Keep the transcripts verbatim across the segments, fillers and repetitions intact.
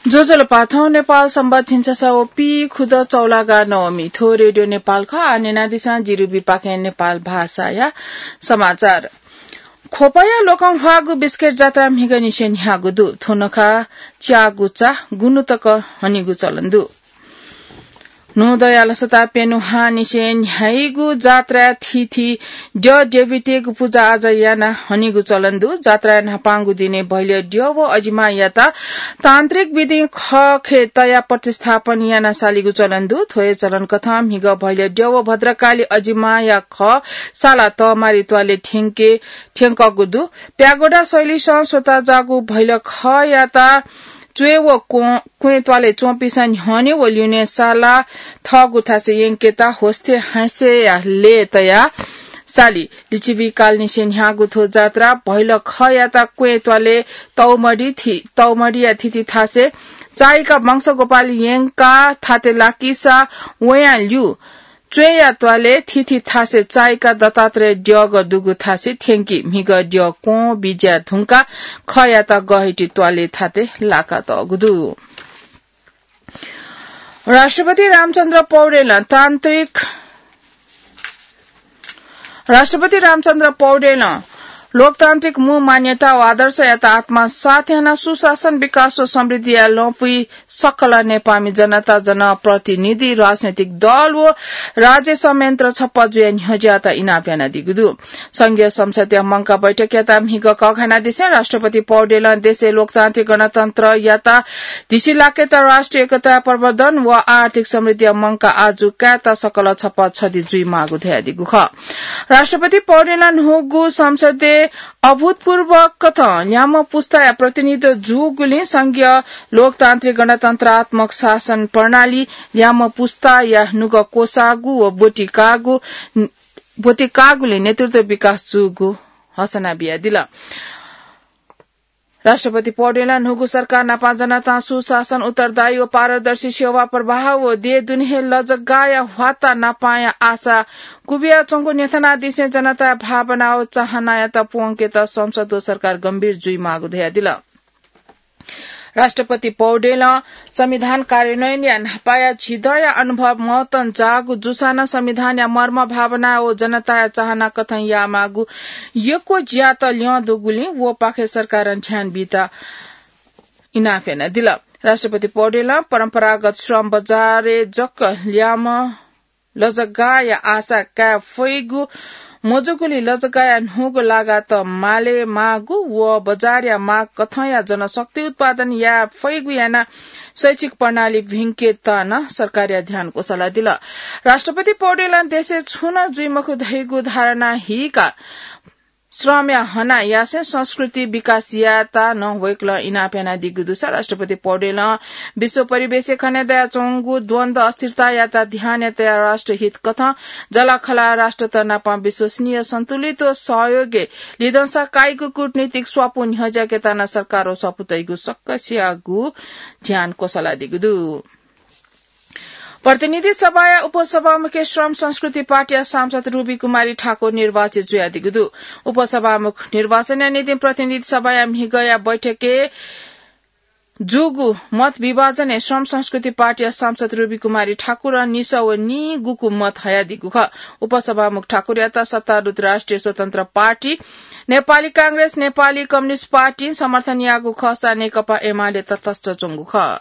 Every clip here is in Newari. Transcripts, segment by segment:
ज्वजलपा, थौं नेपाल संवत् झिंछसः व पीखुदँ चौलागा नवमी। थ्व रेडियो नेपाल खः। आः न्यनादिसँ जिरुबीपाखें नेपाल भाषाया समाचार। ख्वपया लोकंह्वाःगु बिस्केट जात्रा म्हिगःनिसें न्ह्याःगु दु। थ्व नखः च्याःगु चा गुन्हु तक हनीगु चलन दु। न्हूदँया लसता प्यन्हु हांनिसें न्ह्याइगु जात्राय् थीथी द्यः द्यःबितेगु पुजाआजा यानाः हनीगु चलन दु। जात्राय् न्हापांगु दिनय् भैलय् द्यः व अजिमायात तान्त्रिक विधिं खखय् तयाः प्रतिस्थापन यानाः सालीगु चलन दु। थ्व हे चलन कथं म्हिगः भैलय् द्यः व भद्रकाली अजिमाया खः साला तःमारी त्वालय् थ्यंके, थ्यंकःगु दु। प्यागोडा शैलीसं स्वताःजाःगु भैल खःयात च्वय् व क्वँ, क्वँय् त्वालय् च्वंपिन्सं न्ह्यःने व ल्यूने साला थःगु थासय् यंकेत होस्थे हाँसेया लय् तयाः साली। लिच्छवि कालनिसें न्ह्याःगु थ्व जात्रा भैल खःयात क्वँय् त्वालय् तौमडी थि-, तौमडीया थीथी थासय् चाइका वंशगोपाल यंकाः थाते लाकिसा वयां ल्यू च्वय्‌या त्वालय् थीथी थासय् चाइका दत्तात्रेय द्यःगः दुगु थासय् थ्यंकी। म्हिगः द्यः क्वँ बिज्याये धुंकाः खःयात गःहिति त्वालय् थाते लाकातःगु दु। राष्ट्रपति रामचन्द्र पौडेलं तान्त्रिक, राष्ट्रपति रामचन्द्र पौडेलं लोकतान्त्रिक मू मान्यता व आदर्शयात आत्मसात यानाः सुशासन, विकास व समृद्धिया लँपुइ सकल नेपाःमि जनता, जनप्रतिनिधि, राजनैतिक दल व राज्य संयन्त्र छप्पँ जुयाः न्ह्यज्याःत इनाप यानादीगु दु। संघीय संसदया मंकाः बैठकयात म्हिगः कःघानादिसें राष्ट्रपति पौडेलं देशय् लोकतान्त्रिक गणतन्त्रयात धिसिलाकेत, राष्ट्रिय एकता प्रवर्धन व आर्थिक समृद्धिया मंकाः आजु कायेत सकल छप्पँ छधि जुइमाःगु धयादीगु खः। राष्ट्रपति पौडेलं न्हूगु संसदय् अभूतपूर्व कथं ल्याम्ह पुस्ताया प्रतिनिधित्व जूगुलिं संघीय लोकतान्त्रिक गणतन्त्रात्मक शासन प्रणाली ल्याम्ह पुस्ताया नुगः क्वसाःगु व ब्वति काःगु, ब्वति काःगुलिं नेतृत्व विकास जूगु हसना बियादिल। राष्ट्रपति पौडेलं न्हूगु सरकार नापं जनतां सुशासन, उत्तरदायी व पारदर्शी सेवा प्रवाह व देय् दुने हे लजगाःया ह्वाता नापांया आशा क्वबियाच्वंगु न्ह्यथनादिसें जनताया भावना व चाहनायात प्वंकेत संसद व सरकार गम्भीर जुइमाःगु धयादिल। राष्ट्रपति पौडेलं संविधान कार्यान्वयनया न्हापाया झिदँया अनुभव महत्तम जाःगु जूसां नं संविधानया मर्म, भावना व जनताया चाहना कथं यायेमाःगु यक्व ज्यात ल्यं दुगुलिं व पाखे सरकारं ध्यान बीत इनाप यानादिल। राष्ट्रपति पौडेलं परम्परागत श्रम बजारय् जक ल्याम्ह लजगाःया आशा काये फइगु मजूगुलिं लजगाःया न्हूगु लागात माले माःगु व बजारया माग कथंया जनशक्ति उत्पादन याये फइगु यानाः शैक्षिक प्रणाली भिंकेत नं सरकारया ध्यान क्वसलादिल। राष्ट्रपति पौडेलं देशय् छुं नं जुइमखु धइगु धारणा हीकाः श्रमया हना यासें संस्कृति विकास यायेत नं वय्कलं इनाप यानादीगु दुसा राष्ट्रपति पौडेलं विश्व परिवेशय् खने दयाच्वंगु द्वन्द्व अस्थिरतायात ध्यानय् तयाः राष्ट्रहित कथं जःलाखःला राष्ट्रत नाप विश्वसनीय, सन्तुलित व सहयोगय् लिधंसा काइगु कूटनीतिक स्वापू न्ह्यज्याकेत नं सरकार व स्वापू तइगु सकसियागु ध्यान क्वसलादीगु दु। प्रतिनिधि सभाया उपसभामुखय् श्रम संस्कृति पार्टीया सांसद रुबी कुमारी ठाकुर निर्वाचित जुयादीगु दु। उपसभामुख निर्वाचनया निंतिं प्रतिनिधि सभाया म्हिगःया बैठकय् जूगु मत विभाजनय् श्रम संस्कृति पार्टीया सांसद रुबी कुमारी ठाकुरं निसः व नीगुकु मत हयादीगु खः। उपसभामुख ठाकुरयात सत्तारूढ राष्ट्रिय स्वतन्त्र पार्टी, नेपाली कांग्रेस, नेपाली कम्युनिस्ट पार्टीं समर्थन याःगु खःसा नेकपा एमाले तटस्थ च्वंगु खः।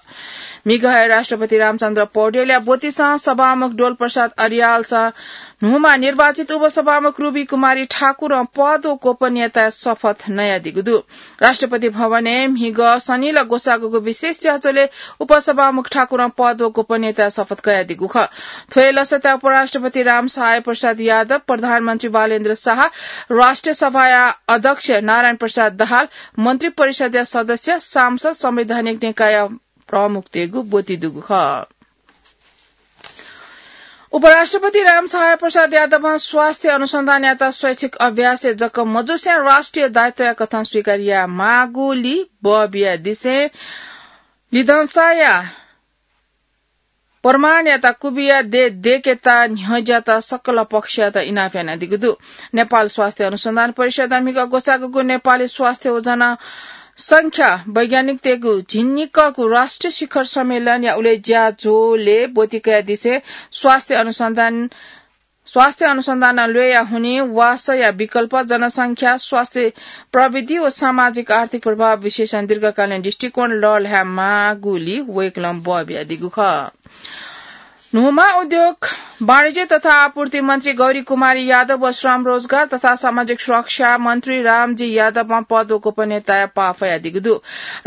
म्हिगः हे राष्ट्रपति रामचन्द्र पौडेलया ब्वतिसं सभामुख डोलप्रसाद अर्यालसं न्हूमा निर्वाचित उपसभामुख रुबी कुमारी ठाकुरं पद व गोपनीयताया शपथ नयादीगु दु। राष्ट्रपति भवनय् म्हिगः सनिल ग्वसाःगुगु विशेष च्याःझ्वलय् उपसभामुख ठाकुरं पद व गोपनीयताया शपथ कयादीगु खः। थ्व हे लसताय् उपराष्ट्रपति रामसहाय प्रसाद यादव, प्रधानमन्त्री बालेन्द्र शाह, राष्ट्रिय सभाया अध्यक्ष नारायण प्रसाद दाहाल, मन्त्री परिषदया सदस्य, सांसद, संवैधानिक निकायया प्रमुखतय्गु ब्वति दुगु खः। उपराष्ट्रपति रामसहाय प्रसाद यादवं स्वास्थ्य अनुसन्धानयात शैक्षिक अभ्यासय् जक मजुसें राष्ट्रिय दायित्वया कथं स्वीकार यायेमाःगुलिइ बः बियादिसें लिधंसाया प्रमाणयात क्वबिया देय् दय्केत न्ह्यज्यात सकल पक्षयात इनाप यानादीगु दु। नेपाल स्वास्थ्य अनुसन्धान परिषदं म्हिगः ग्वसाःगुगु नेपाली स्वास्थ्य व जन जनसंख्या वैज्ञानिकतय्गु झिंनिक्कःगु राष्ट्रिय शिखर सम्मेलनया उलेज्या झ्वलय् ब्वति कयादिसें स्वास्थ्य अनुसन्धान, स्वास्थ्य अनुसन्धान ल्वय्या हुनिं वासःया विकल्प, जनसंख्या, स्वास्थ्य प्रविधि व सामाजिक आर्थिक प्रभाव विश्लेषण दीर्घकालीन दृष्टिकोण लःल्हायेमाःगुली वय्कलं बः बियादीगु खः। न्हूम्ह उद्योग, वाणिज्य तथा आपूर्ति मन्त्री गौरी कुमारी यादव व श्रम, रोजगार तथा सामाजिक सुरक्षा मन्त्री रामजी यादवं पद व गोपनीयताया पाः फयादीगु दु।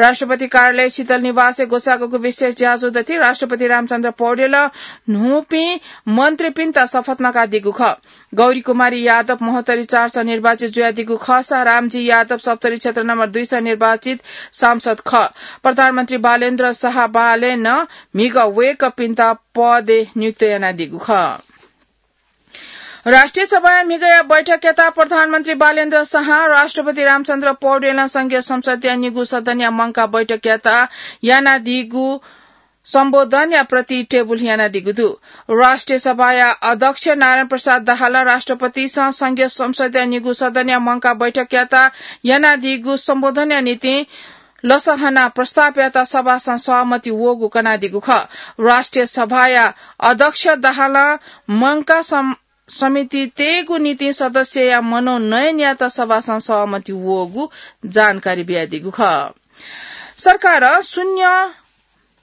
राष्ट्रपति कार्यालय शीतल निवासय् ग्वसाःगु विशेष ज्याझ्वः दथि राष्ट्रपति रामचन्द्र पौडेलं न्हूपिं मन्त्रीपिन्त शपथ नकादीगु खः। गौरी कुमारी यादव महोत्तरी चार सय निर्वाचित जुयादीगु खःसा रामजी यादव सप्तरी क्षेत्र नम्बर दुई सय निर्वाचित सांसद खः। प्रधानमन्त्री बालेन्द्र शाह बालेनं म्हिगः वय्कःपिन्त पदय् नियुक्त यानादीगु खः। राष्ट्रिय सभाया म्हिगःया बैठकयात प्रधानमन्त्री बालेन्द्र शाह, राष्ट्रपति रामचन्द्र पौडेलं संघीय संसदया निगू सदनया मंकाः बैठकयात यानादीगु सम्बोधनया प्रति टेबुल यानादीगु दु। राष्ट्रिय सभाया अध्यक्ष नारायण प्रसाद दाहालं राष्ट्रपतिसं संघीय संसदया निगू सदनया मंकाः बैठकयात यानादीगु सम्बोधनया निंतिं लसहना प्रस्तावयात सभासं सहमति वःगु कनादीगु खः। राष्ट्रिय सभाया अध्यक्ष दाहालं मंकाः सम-, समिति तयेगु निंतिं सदस्यया मनोनयनयात सभासं सहमति वःगु जानकारी बियादीगु खः। सरकारं शून्य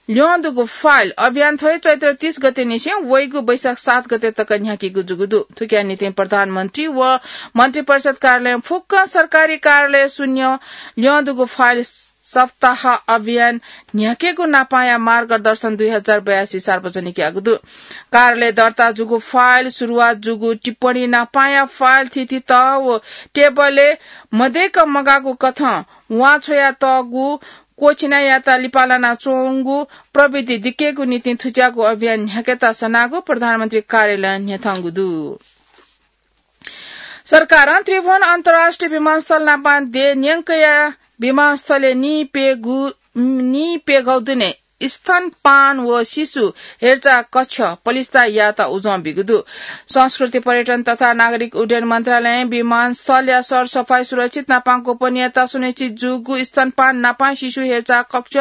ल्यं दुगु फाइल अभियान थ्व हे चैत्र तीस गते निसें वइगु वैशाख सात गते तक न्ह्याकीगु जूगु दु। थुकिया निंतिं प्रधानमन्त्री व मन्त्रिपरिषद कार्यालयं फुक्क सरकारी कार्यालय शून्य ल्यं दुगु फाइल सप्ताह अभियान न्ह्याकेगु नापांया मार्गदर्शन दुई हजार बयासी सार्वजनिक याःगु दु। कार्यालय दर्ता जूगु फाइल, सुरुवात जूगु टिप्पणी नापांया फाइल, थीथी तः व टेबलय् मदय्क मगाःगु कथं वां छ्वयातःगु क्वःछिनायात लिपा लानाच्वंगु प्रविधि दिकेगु निंतिं थुज्याःगु अभियान न्ह्याकेत सनागु प्रधानमन्त्री कार्यालयं न्ह्यथंगु दु। सरकारं त्रिभुवन अन्तर्राष्ट्रिय विमानस्थल नापं देय् न्यंकया विमानस्थलय् नीप्यघौ, नीप्यघौ दुने स्तनपान व शिशु हेरचाह कक्ष पलिस्था यायेत उजं बीगु दु। संस्कृति, पर्यटन तथा नागरिक उड्डयन मन्त्रालयं विमानस्थलया सरसफाई, सुरक्षित नापं गोपनीयता सुनिश्चित जूगु स्तनपान नापं शिशु हेरचाह कक्ष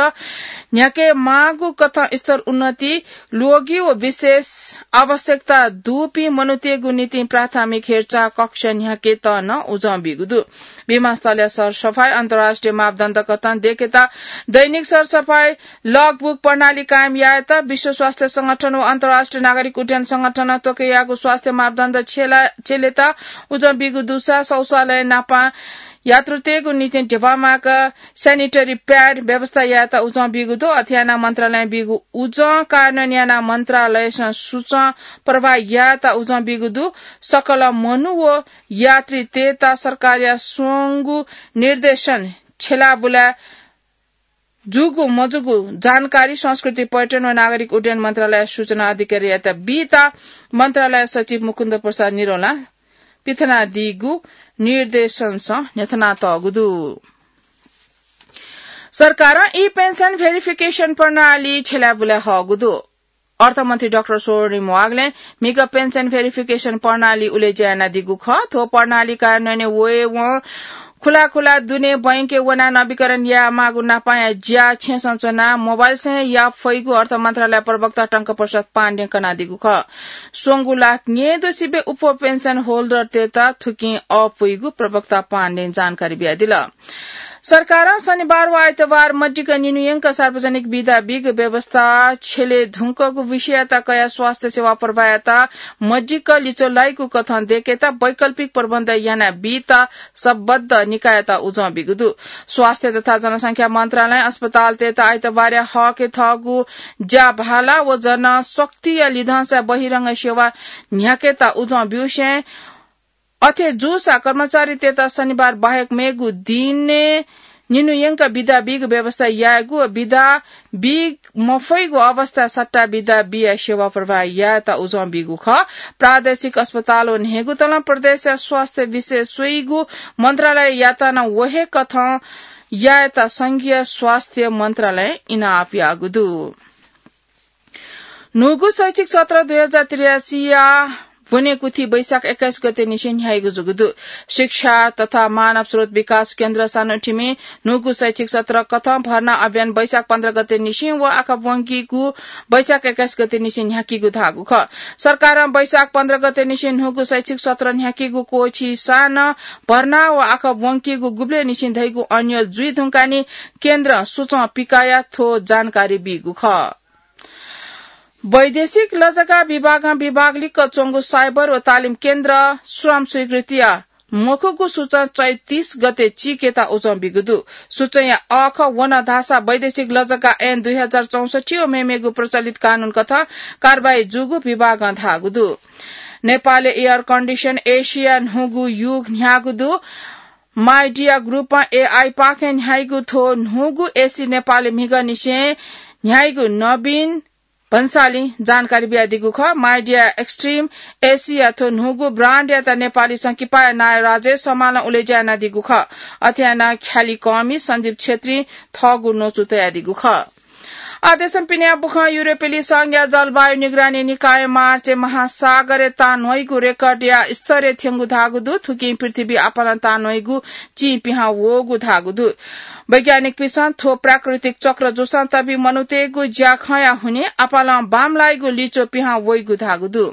न्ह्याके माःगु कथं स्तर उन्नति, रोगी व विशेष आवश्यकता दुपिं मनूतय्गु निंतिं प्राथमिक हेरचाह कक्ष न्ह्याकेत नं उजं बीगु दु। विमानस्थलया सरसफाई अन्तर्राष्ट्रिय मापदण्ड कथं देकेत दैनिक सरसफाई लगबुक प्रणाली कायम यायेत विश्व स्वास्थ्य संगठन व अन्तर्राष्ट्रिय नागरिक उड्डयन संगठनं त्वःके याःगु स्वास्थ्य मापदण्ड छ्यला-, छ्यलेत उजं बीगु दुसा शौचालय नापं यात्रुतय्गु निंतिं ध्यबा माःक sanitary pad व्यवस्था यायेत उजं बीगु दु। अथे यानाः मन्त्रालयं बीगु उजं कार्यान्वयन यानाः मन्त्रालयसं सूचं प्रवाह यायेत उजं बीगु दु। सकल मनू व यात्रीतय्त सरकारया स्वंगू निर्देशन छ्यलाबुला जूगु मजूगु जानकारी संस्कृति, पर्यटन व नागरिक उड्डयन मन्त्रालय सूचना अधिकारीयात बीत मन्त्रालय सचिव मुकुन्द प्रसाद निरौलां पिथनादीगु निर्देशनसं न्ह्यथनातःगु दु। सरकारं ई पेन्सन भेरिफिकेसन प्रणाली छ्यलाबुला हःगु दु। अर्थमन्त्री डाक्टर स्वर्णिम वाग्लें म्हिगः पेन्सन भेरिफिकेसन प्रणाली उलेज्या यानादीगु खः। थ्व प्रणाली कार्यान्वयनय् वयेवं खुला खुला दुने बैंकय् वनाः नवीकरण यायेमाःगु नापांया ज्या छेँसं च्वनाः मोबाइलसं हे याये फइगु अर्थ मन्त्रालय प्रवक्ता टंक प्रसाद पाण्डें कनादीगु खः। स्वंगू लाख न्यय्दुसिबें अप्वः पेन्सन होल्डरतय्त थुकिं अःपुइगु प्रवक्ता पाण्डें जानकारी बियादिल। सरकारं शनिबार व आइतबार मदिक्क निन्हु यंक सार्वजनिक बिदा बीगु व्यवस्था छ्यले धुंकूगु विषययात कयाः स्वास्थ्य सेवा प्रवाहयात मदिक्क लिच्वः लाइगु कथं देकेत वैकल्पिक प्रबन्ध याना बीत सम्बद्ध निकाययात उजं बीगु दु। स्वास्थ्य तथा जनसंख्या मन्त्रालयं अस्पतालतय्त आइतबारया हकय् थःगु ज्याभाला व जनशक्तिया लिधंसा बहिरंग सेवा न्ह्याकेत उजं ब्यूसें अथे जूसा कर्मचारीतय्त शनिबार बाहेक मेगु दिनय् निन्हु यंक बिदा बीगु व्यवस्था यायेगु व बिदा बी मफइगु अवस्थाय् सट्टा बिदा बियाः सेवा प्रवाह यायेत उजं बीगु खः। प्रादेशिक अस्पताल व न्हय्गू तलं प्रदेशया स्वास्थ्य विषय स्वइगु मन्त्रालययात नं व हे कथं यायेत संघीय स्वास्थ्य मन्त्रालयं इनाप याःगु दु। न्हूगु शैक्षिक सत्र दुई हजार त्रियासीया ब्वनेकुथि वैशाख एक्काइस गते निसें न्ह्याइगु जूगु दु। शिक्षा तथा मानव स्रोत विकास केन्द्र सानोथिमि न्हूगु शैक्षिक सत्र कथं भर्ना अभियान वैशाख पन्ध्र गते निसें व आखा ब्वंकीगु वैशाख एक्काइस गते निसें न्ह्याकीगु धाःगु खः। सरकारं वैशाख पन्ध्र गते निसें न्हूगु शैक्षिक सत्र न्ह्याकीगु क्वःछिसां नं भर्ना व आखा ब्वंकीगु गुबलें निसें धइगु अन्यल जुइ धुंकाः नि केन्द्रं सुचं पिकाया थ्व जानकारी बीगु खः। वैदेशिक लजगा विभागं विभाग लिक्क च्वंगु साइबर व तालिम केन्द्र श्रम स्वीकृतिया मखुगु सुचं चैत तीस गते चीकेत उजं बीगु दु। सुचंया अःखः वन धाःसा वैदेशिक लजगा ऐन दुई हजार चौसठी व मेमेगु प्रचलित कानून कथं कारवाही जूगु विभागं धाःगु दु। नेपालय् एयर कन्डिसन एसीया न्हूगु युग न्ह्याःगु दु। माइडिया ग्रुपं एआई पाखें न्ह्याइगु थ्व न्हूगु एसी नेपालय् म्हिगःनिसें न्ह्याइगु नवीन भन्सालीं जानकारी बियादीगु खः। माइडिया एक्सट्रिम एसीया थ्व न्हूगु ब्रान्डयात नेपालीसं किपाया नायः राजेश हमालं उलेज्या यानादीगु खः। अथे यानाः ख्यालि कःमि सञ्जीव छेत्रीं थःगु न्वचु तयादीगु खः। आदेशं पिने बुखं युरोपेली संघया जलवायु निगरानी निकायं मार्चय् महासागरय् तां न्ह्वइगु रेकर्डया स्तरय् थ्यंगु धाःगु दु। थुकिं पृथ्वी आपालं तां न्ह्वइगु चिं पिहां वःगु धाःगु दु। वैज्ञानिकपिन्सं थ्व प्राकृतिक चक्र जूसां तबि मनूतय्गु ज्याखँया हुनिं आपालं बांमलाइगु लिच्वः पिहां वइगु धाःगु दु।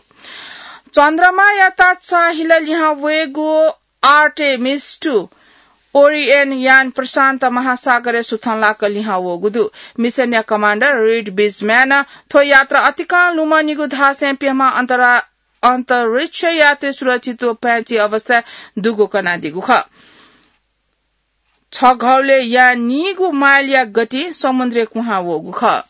चन्द्रमायात चाःहिला लिहां वयेगु आर्टेमिस टू ओरियन यान प्रशान्त महासागरय् सुथंलाक लिहां वःगु दु। मिसनया कमाण्डर रिड बिजम्यानं थ्व यात्रा अतिकं लुमनिगु धासें प्यम्ह अन्तरा-, अन्तरिक्ष यात्री सुरक्षित व प्याँची अवस्थाय् दुगु कनादीगु खः। छघौले यानीगु माइलया गति समुद्रय् कुहां वःगु खः।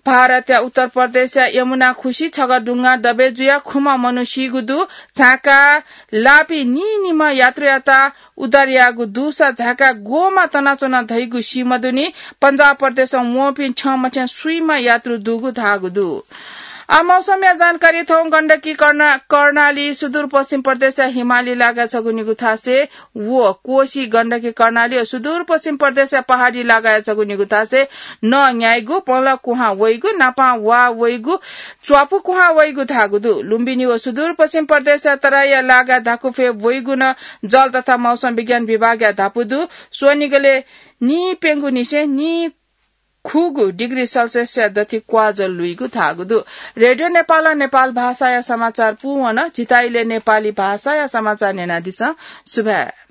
भारतया उत्तर प्रदेशया यमुना खुसि छगः दुंगां दबे जुयाः खुम्ह मनू सीगु दु। झाँका लाःपिं नीनिम्ह यात्रुयात उद्धार याःगु दुसा झाँका ग्वःमा तनाच्वन धइगु सीमदुनि। पञ्जाब प्रदेशं वंपिं छ्यं मछ्यं स्वीम्ह यात्रु दुगु धाःगु दु। आ, मौसमया जानकारी थौं। गण्डकी कर्णा-, कर्णाली सुदूरपश्चिम प्रदेशया हिमाली लागाय् छगू निगू थासय् व कोशी, गण्डकी, कर्णाली व सुदूरपश्चिम प्रदेशया पहाडी लागाय् छगू निगू थासय् नं न्याइगु, पंला कुहां वइगु, नापां वा वइगु, च्वापु कुहां वइगु धाःगु दु। लुम्बिनी व सुदूरपश्चिम प्रदेशया तराईया लागाय् धाकुफय् वइगु नं जल तथा मौसम विज्ञान विभागया धापू दु। स्वनिगलय् नीप्यंगुनिसें नीखुगू डिग्री सेल्सियसया दथि क्वाःजल लुइगु धाःगु दु। रेडियो नेपालं नेपाल भाषाया समाचार पूवन। झीत इलय् नेपाली भाषाया समाचार न्यनादिसँ। सुभाय्।